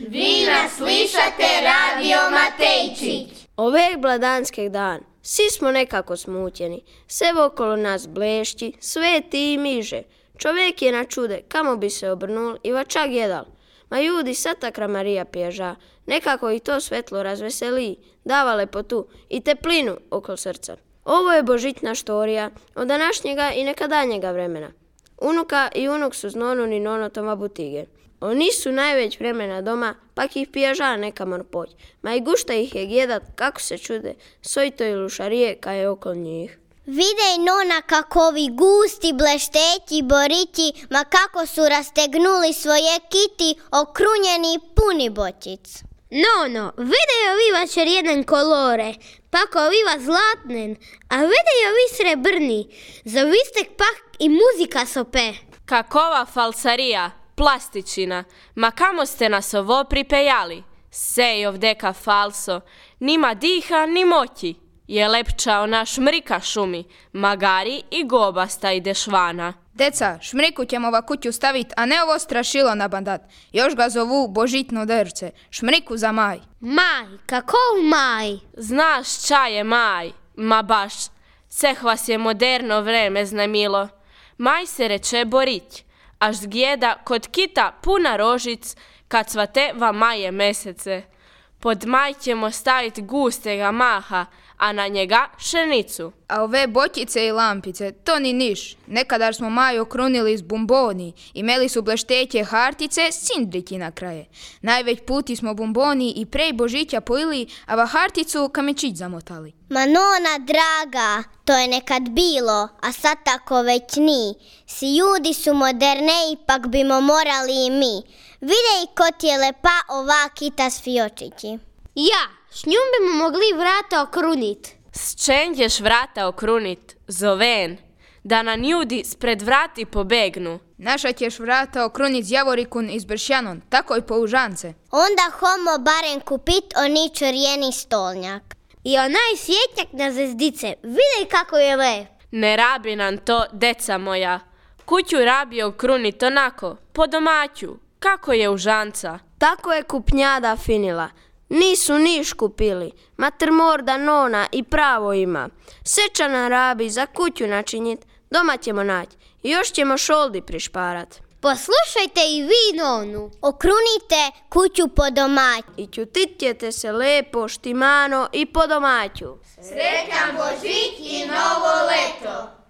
Vi nas slišate Radio Matejčić. Oveg bladanskeg dan svi smo nekako smutjeni, sve okolo nas blešći, sveti i miže. Čovjek je na čude, kamo bi se obrnul i vačak jedal. Ma ljudi, satakra Marija pježa, nekako ih to svetlo razveseli, dava lepotu i teplinu okolo srca. Ovo je božićna štorija od današnjega i nekadanje vremena. Unuka i unuk su z nonom i nonotoma butige. Oni su najveć vremena doma, pak ih pježa neka mor poć. Ma i gušta ih je gjedat kako se čude, sojto i lušarije ka je okolo njih. Videj nona kako ovi gusti blešteći borići, ma kako su rastegnuli svoje kiti, okrunjeni puni bočic. Nono, videj ovi vašer jedan kolore, pak oviva zlatnen, a videj ovi srebrni, zavistek pak i muzika sope. Kakova falsarija, plastičina, ma kamo ste nas ovo pripejali? Sej ovdeka falso, nima diha ni moći. Je lepčao na šmrika šumi, magari i gobasta ide švana. Deca, šmriku ćemo va kuću stavit, a ne ovo strašilo na bandat. Još ga zovu božitno drce, šmriku za maj. Maj, kakov maj? Znaš ča je maj? Ma baš, seh vas je moderno vreme znamilo. Maj se reče borić, až zgjeda kod kita puna rožic, kad cvate va maje mesece. Pod maj ćemo staviti gustega maha, a na njega pšenicu. A ove bočice i lampice, to ni niš. Nekadar smo maj okrunili s bomboni, imeli su blešteće hartice s cindriki na kraje. Najveć puti smo bomboni i prej Božića pojili, a va harticu kamečić zamotali. Ma nona draga, to je nekad bilo, a sad tako već ni. Si ljudi su moderne, ipak bimo morali i mi. Videj ko ti je lepa ova kita s fiočići. Ja, s njom bimo mogli vrata okrunit. S čem ćeš vrata okrunit, zoven, da nam ljudi spred vrati pobegnu? Naša ćeš vrata okrunit z javorikun iz Bršjanon, tako i použance. Onda homo barem kupit oni čorjeni stolnjak. I onaj svjetnjak na zvezdice, videj kako je lep. Ne rabi nam to, deca moja. Kuću rabi okrunit onako, po domaću, kako je užanca. Tako je kupnjada finila. Nisu niš kupili, mater morda nona i pravo ima. Sečana rabi za kuću načinjit, doma ćemo naći i još ćemo šoldi prišparat. Poslušajte i vi nonu. Okrunite kuću po domaću. I ćutit ćete se lepo, štimano i po domaću. Sretan Božić i novo leto!